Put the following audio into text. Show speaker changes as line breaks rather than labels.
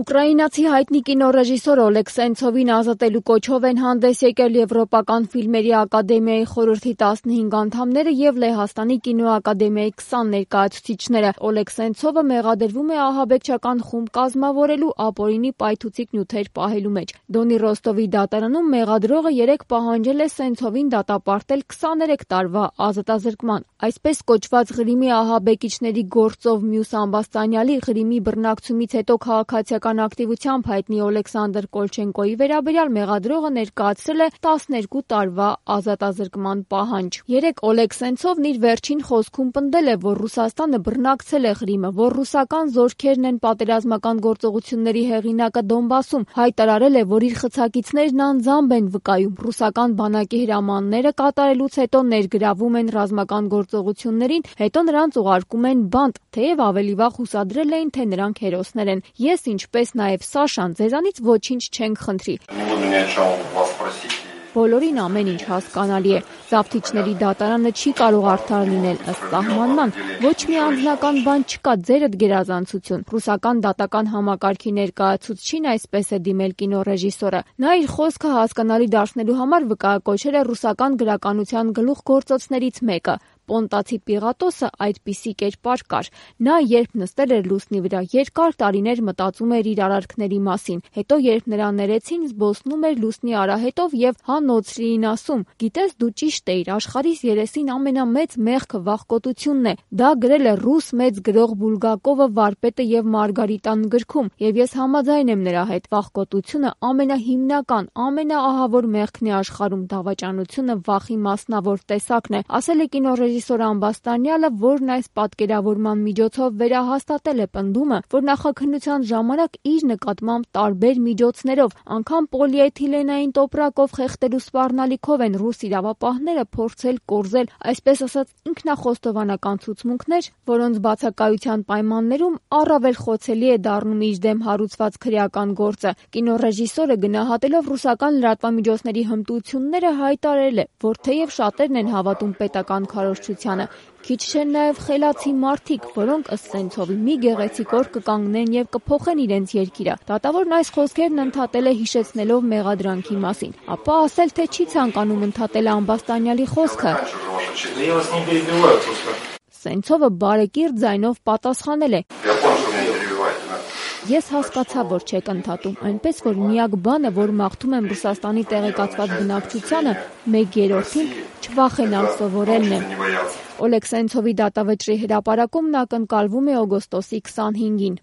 Ուկրաինացի հայտնի կինոռեժիսոր Օլեգ Սենցովին ազատելու կոչով են հանդես եկել Եվրոպական ֆիլմերի ակադեմիայի խորհրդի 15 անդամները և Լեհաստանի կինոակադեմիայի 20 ներկայացուցիչները։ Օլեգ Սենցովը մեղադրվում է ահաբեկչական խումբ կազմավորելու, ապօրինի պայթուցիկ նյութեր պահելու մեջ։ Դոնի Ռոստովի դատարանում մեղադրողը 3 պահանջել է Սենցովին դատապարտել 23 տարվա ազատազրկման։ Այսպես կոչված Ղրիմի ահաբեկիչների գործով մյուս ամբաստանյալի Ղրիմի բռնակցումից հետո քաղաքացիական ակտիվությամբ հայտնի Օլեքսանդր Կոլչենկոյի վերաբերյալ մեղադրողը ներկայացրել է 12 տարվա ազատազրկման պահանջ։ 3 Օլեգ Սենցովն իր վերջին խոսքում պնդել է, որ Ռուսաստանը բռնակցել է Ղրիմը, որ ռուսական զորքերն են պատերազմական գործողությունների հեղինակը Դոնբասում, հայտարարել է, որ իր խցակիցներն անձամբ են վկայում, ռուսական բանակի հրամանները կատարելուց հետո ներգրավում են ռազմական գործողություններին, հետո նրանց ուղարկում են բանտ, թեև ավելի վաղ հուսադրել էին, թե նրանք հերոսներ են։ Ես, ինչպես նաև Սաշան, ձեզանից ոչինչ չենք խնդրի։ Բոլորին ամեն ինչ հասկանալի է։ Զավթիչների դատարանը չի կարող արդար լինել ըստ սահմանման։ Ոչ մի անձնական բան չկա, ձերդ գերազանցություն։ Ռուսական դատական համակարգի ներկայացուցչին այսպես է դիմել կինոռեժիսորը։ Նա իր խոսքը հասկանալի դարձնելու համար վկայակոչել է ռուսական գրականության գլուխգործոցներից մեկը։ Պոնտացի Պիղատոսը այդպիսի կերպար կար։ Նա երբ նստել էր լուսնի վրա, երկար տարիներ մտածում էր իր արարքների մասին։ Հետո երբ նրան ներեցին, զբոսնում էր լուսնի արահետով եւ հանոցրիին ասում. «Գիտես, դու ճիշտ էիր, աշխարհիս երեսին ամենամեծ մեղքը վախկոտությունն է»։ Դա գրել է ռուս մեծ գրող Բուլգակովը վարպետը եւ Մարգարիտան գրքում, եւ ես համաձայն եմ նրա հետ։ Վախկոտությունը ամենահիմնական, ամենաահավոր մեղքն է աշխարհում, դավաճանությունը վախի մասնավոր տեսակն է, ասել է կինոռեժիսոր ամբաստանյալը, որն այս պատկերավորման միջոցով վերահաստատել է պնդումը, որ նախաքննության ժամանակ իր նկատմամբ տարբեր միջոցներով, անգամ պոլիէթիլենային տոպրակով խեղդելու սպառնալիքով են ռուս իրավապահները փորձել կորզել, այսպես ասած, ինքնախոստովանական ցուցմունքներ, որոնց բացակայության պայմաններում առավել խոցելի է դառնում իր դեմ հարուցված քրեական գործը։ Կինոռեժիսորը գնահատելով ռուսական լրատվամիջոցների հմտությունները հայտարարել է, որ թեև շատերն են հավատում պետական քարոզչությանը, քիչ չեն նաև խելացի մարդիկ, որոնք ըստ Սենցովի մի գեղեցիկ օր կկանգնեն եւ կփոխեն իրենց երկիրը։ Դատավորն այս խոսքերն ընդհատել է հիշեցնելով մեղադրանքի մասին, ապա ասել, թե չի ցանկանում ընդհատել ամբաստանյալի խոսքը։ Սենցովը բարեկիրթ ձայնով պատասխանել է. Ես հասկացա, որ չեք ընդհատում, այնպես որ միակ բանը, որ մաղթում եմ Ռուսաստանի տեղեկացված բնակչությանը, 1/3-ին չվախենալ սովորելն է։ Օլեգ Սենցովի դատավճռի հրապարակումն ակնկալվում է օգոստոսի 25-ին։